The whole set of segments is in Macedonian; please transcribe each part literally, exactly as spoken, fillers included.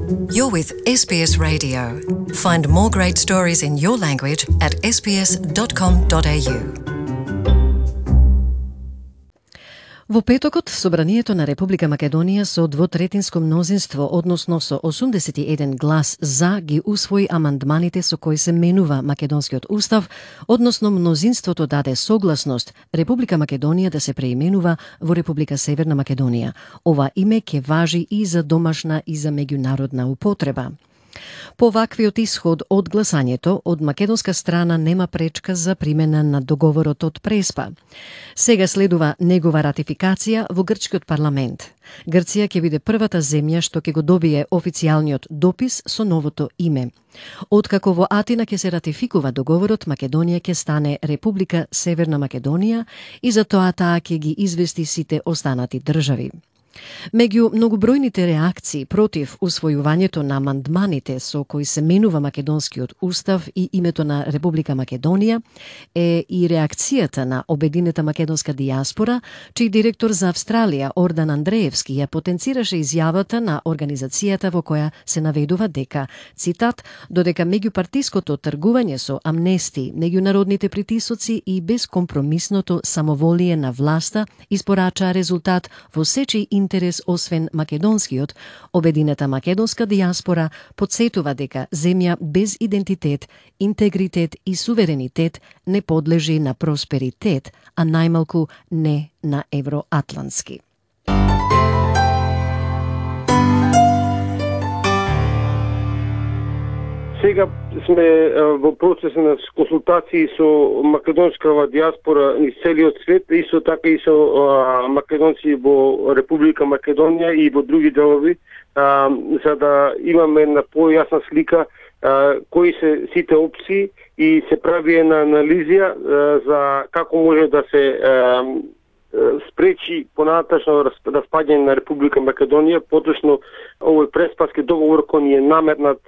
You're with S B S Radio. Find more great stories in your language at s b s dot com dot a u. Во петокот, Собранието на Република Македонија со двотретинско мнозинство, односно со осумдесет и еден глас за, ги усвои амандманите со кои се менува Македонскиот устав, односно мнозинството даде согласност Република Македонија да се преименува во Република Северна Македонија. Ова име ќе важи и за домашна и за меѓународна употреба. По ваквиот исход од гласањето, од македонска страна нема пречка за примена на договорот од Преспа. Сега следува негова ратификација во грчкиот парламент. Грција ќе биде првата земја што ќе го добие официјалниот допис со новото име. Откако во Атина ќе се ратификува договорот, Македонија ќе стане Република Северна Македонија и за тоа таа ќе ги извести сите останати држави. Меѓу многобројните реакции против усвојувањето на амандманите со кои се менува Македонскиот устав и името на Република Македонија е и реакцијата на обединета македонска дијаспора, чиј директор за Австралија Ордан Андреевски ја потенцираше изјавата на организацијата во која се наведува дека, цитат, додека меѓупартиското тргување со амнести, меѓународните притисоци и безкомпромисното самоволие на власта испорачаа резултат во сечи интерес освен македонскиот, обединета македонска дијаспора потсетува дека земја без идентитет, интегритет и суверенитет не подлежи на просперитет, а најмалку не на евроатлантски. Сега сме во процес на консултации со македонскава дијаспора низ целиот свет, исто така и со а, македонци во Република Македонија и во други делови, а, за да имаме една појасна слика а, кои се сите опции и се прави една анализија а, за како може да се а, спречи понатачно распаѓање на Република Македонија, поточно овој преспаски договор кој ни е наметнат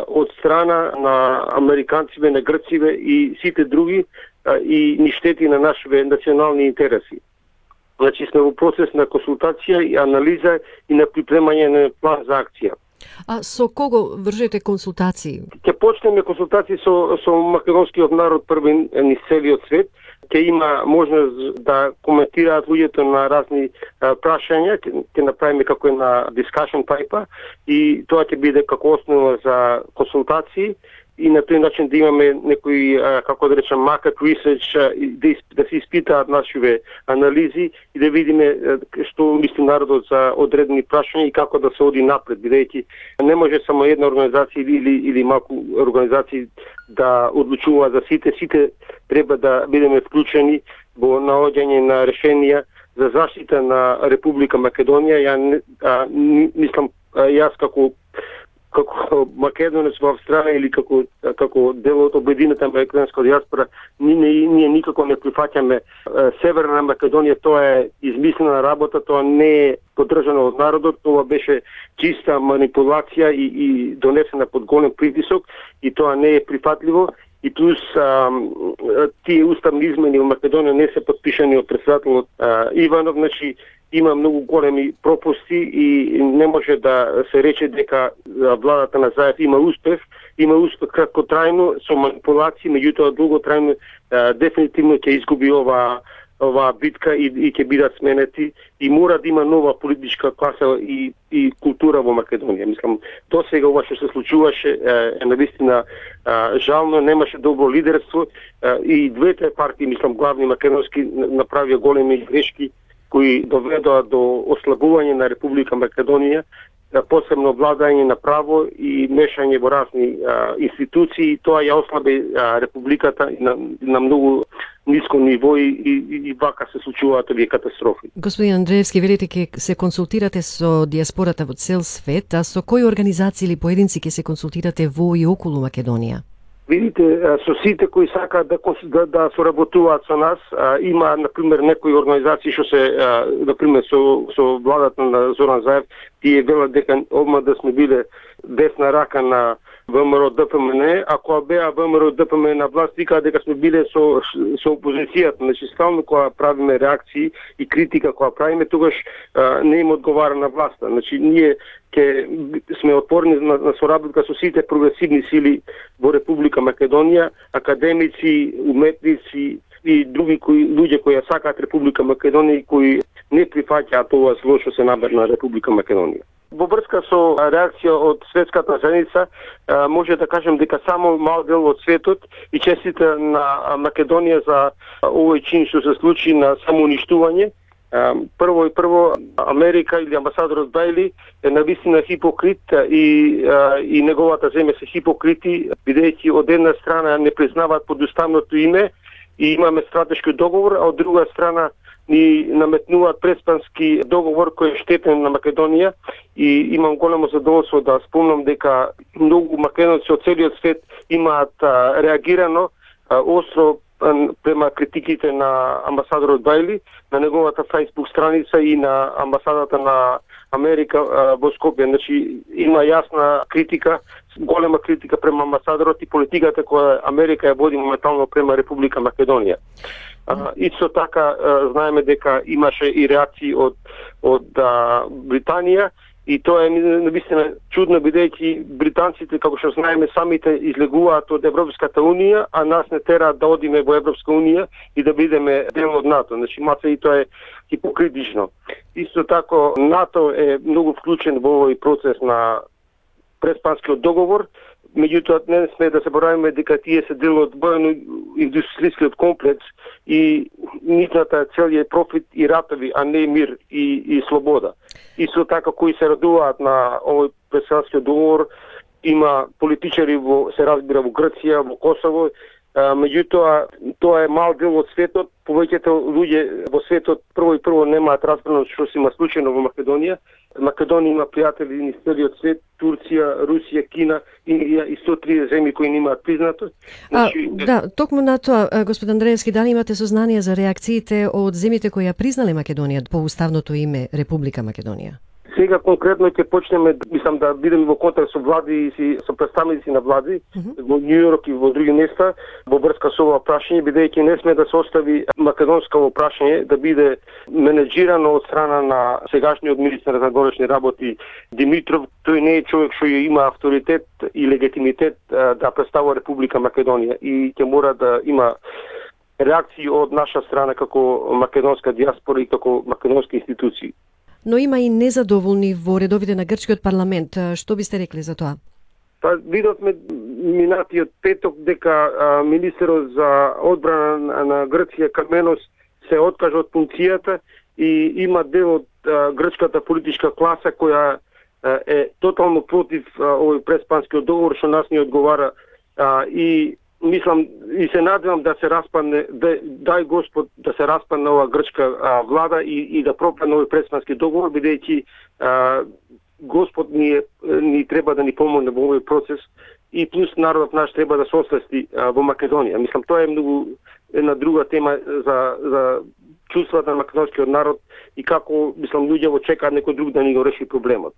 од страна на американците, на грците и сите други и ни штети на нашите национални интереси. Значи сме во процес на консултација и анализа и на припремање на план за акција. А со кого вршите консултации? Ќе почнеме консултации со, со македонскиот народ први низ целиот свет. Ќе има можност да коментираат луѓето на разни а, прашања, ќе, ќе направиме како една discussion paper и тоа ќе биде како основа за консултации и на тој начин да имаме некои, а, како да речем, market research, а, да, да се испитаат нашиве анализи и да видиме а, што мисли народот за одредени прашања и како да се оди напред, бидејќи не може само една организација или, или малку организации да одлучува за сите, сите треба да бидеме вклучени во наоѓање на решенија за заштита на Република Македонија. Ја а, мислам, а, јас како како македонец во Австралија или како како дел од обединета македонска дијаспора, ние, ние никако не прифаќаме Северна Македонија, тоа е измислена работа, тоа не е поддржано од народот, тоа беше чиста манипулација и, и донесена под голем притисок и тоа не е прифатливо. И плюс а, тие уставни измени во Македонија не се подпишани од претседателот Иванов, значи има многу големи пропусти и не може да се рече дека владата на Заев има успех, има успех краткотрајно со манипулации, меѓутоа долготрајно дефинитивно ќе изгуби ова оваа битка и, и ќе бидат сменети и мора да има нова политичка класа и, и култура во Македонија. Мислам, до сега ова што се случуваше е навистина жално, немаше добро лидерство и двете партии, мислам, главни македонски направија големи грешки кои доведоа до ослабување на Република Македонија, посебно владање на право и мешање во разни а, институции. Тоа ја ослаби а, Републиката на, на многу ниско ниво и, и, и вака се случуваат овие катастрофи. Господин Андреевски, велите ке се консултирате со дијаспората во цел свет, а со кои организации или поединци ке се консултирате во и околу Македонија? Видите, со сите кои сакаат да, да, да соработуваат со нас, а, има, например, некои организации што се, а, например, со, со владата на Зоран Заев, тие велат дека одма да сме биле десна рака на ВМРО Д П М Н, ако беа ВМРО Д П М Н на власт, вика дека сме биле со со опозицијата, значи стално кога правиме реакции и критика кога правиме, тогаш а, не им одговара на власта. Значи ние ќе сме отворени на, на соработка со сите прогресивни сили во Република Македонија, академици, уметници и други кои луѓе кои ја сакаат Република Македонија и кои не прифаќаат ова зло што се набер на Република Македонија. Во врска со реакција од светската заедница, може да кажем дека само мал дел од светот и честита на Македонија за овој чин што се случи на самоуништување. Прво и прво Америка или амбасадорот Бајли е навистина хипокрит и и неговата земја се хипокрити, бидејќи од една страна не признаваат подуставното име и имаме стратешки договор, а од друга страна ни наметнуваат преспански договор кој е штетен на Македонија и имам големо задоволство да спомнам дека многу македонци од целиот свет имаат а, реагирано а, остро а, према критиките на амбасадорот Бајли на неговата Facebook страница и на амбасадата на Америка а, во Скопје. Значи има јасна критика, голема критика према амбасадорот и политиката која Америка ја води моментално према Република Македонија. Uh, исто така uh, знаеме дека имаше и реакции од од uh, Британија и тоа е навистина чудно, бидејќи британците, како што знаеме, самите излегуваат од Европската унија, а нас не тераат да одиме во Европска унија и да бидеме дел од НАТО. Значи маца и тоа е хипокритично. Исто така НАТО е многу вклучен во овој процес на преспанскиот договор. Меѓутоа, не сме да забораваме дека тие се дел од воено-индустријскиот комплекс и нивната цел е профит и ратови, а не мир и, и слобода. Исто така, кои се радуваат на овој преспанскиот договор, има политичари, во, се разбира, во Грција, во Косово, а, меѓутоа, тоа е мал дел од светот. Повеќето луѓе во светот прво и прво немаат разбрано што се има случајно во Македонија. Македонија има пријатели низ целиот свет, Турција, Русија, Кина, Индија и сто триесет земји кои немаат признато. Значи, а, да, токму на тоа, господин Андреевски, дали имате сознание за реакциите од земјите кои ја признале Македонија по уставното име Република Македонија? Сега конкретно ќе почнеме, мислам, да бидеме во контакт со влади и со представници на влади mm -hmm. во Њујорк и во други места во врска со ова прашање, бидејќи не сме да се остави македонско прашање да биде менеджирано од страна на сегашниот министер за външни работи Димитров. Тој не е човек што има авторитет и легитимитет да представува Република Македонија и ќе мора да има реакции од наша страна како македонска диаспора и како македонски институции. Но има и незадоволни во редовите на грчкиот парламент. Што бисте рекли за тоа? Па видовме минатиот петок дека а, министерот за одбрана на, на Грција Каменос се откажа од функцијата и има дел од а, грчката политичка класа која а, е тотално против а, овој преспанскиот договор што нас не одговара а, и мислам и се надевам да се распадне, да, дај Господ да се распадне ова грчка а, влада и, и да пропадне овој преспански договор, бидејќи Господ ни, ни треба да ни помогне во овој процес и плюс народот наш треба да се освести а, во Македонија. Мислам тоа е многу една друга тема за за чувствата на македонскиот народ и како мислам луѓе во чекаат некој друг да ни го реши проблемот.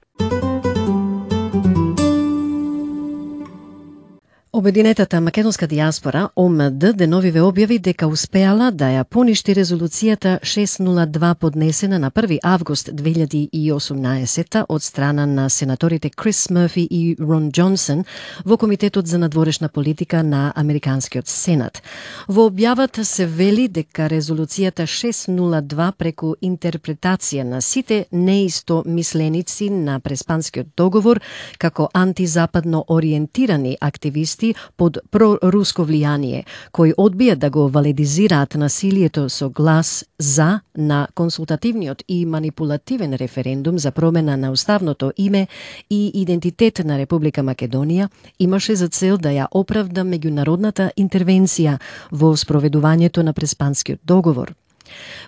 Обединетата македонска диаспора О М Д деновиве објави дека успеала да ја поништи резолуцијата шестстотини и два поднесена на први август две илјади и осумнаесета од страна на сенаторите Крис Мърфи и Рон Џонсон во Комитетот за надворешна политика на Американскиот Сенат. Во објавата се вели дека резолуцијата шестстотини и два преку интерпретација на сите неисто мисленици на преспанскиот договор како антизападно ориентирани активисти под проруско влијание, кои одбијат да го валидизираат насилието со глас за на консултативниот и манипулативен референдум за промена на уставното име и идентитет на Република Македонија, имаше за цел да ја оправда меѓународната интервенција во спроведувањето на преспанскиот договор.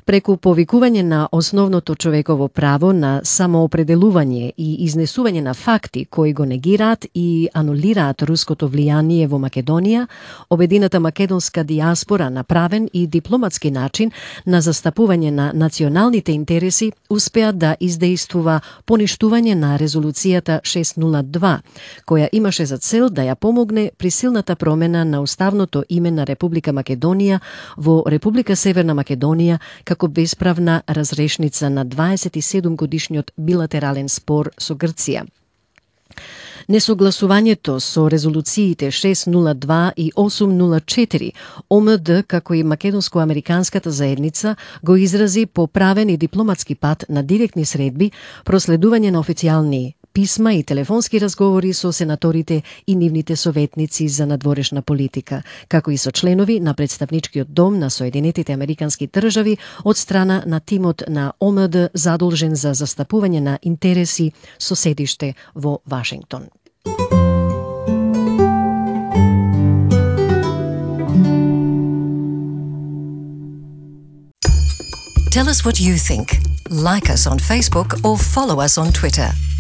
Преку повикување на основното човеково право на самоопределување и изнесување на факти кои го негираат и анулираат руското влијание во Македонија, обедината македонска дијаспора на правен и дипломатски начин на застапување на националните интереси успеа да издействува поништување на резолуцијата шестстотини и два, која имаше за цел да ја помогне при силната промена на уставното име на Република Македонија во Република Северна Македонија како бесправна разрешница на дваесет и седум годишниот билатерален спор со Грција. Несогласувањето со резолуциите шестстотини и два и осумстотини и четири ОМД како и македонско-американската заедница го изрази по правен и дипломатски пат на директни средби, проследување на официјални писма и телефонски разговори со сенаторите и нивните советници за надворешна политика, како и со членови на представничкиот дом на Соединетите Американски држави од страна на тимот на ОМД задолжен за застапување на интереси со седиште во Вашингтон. Tell us what you think. Like us on Facebook or follow us on Twitter.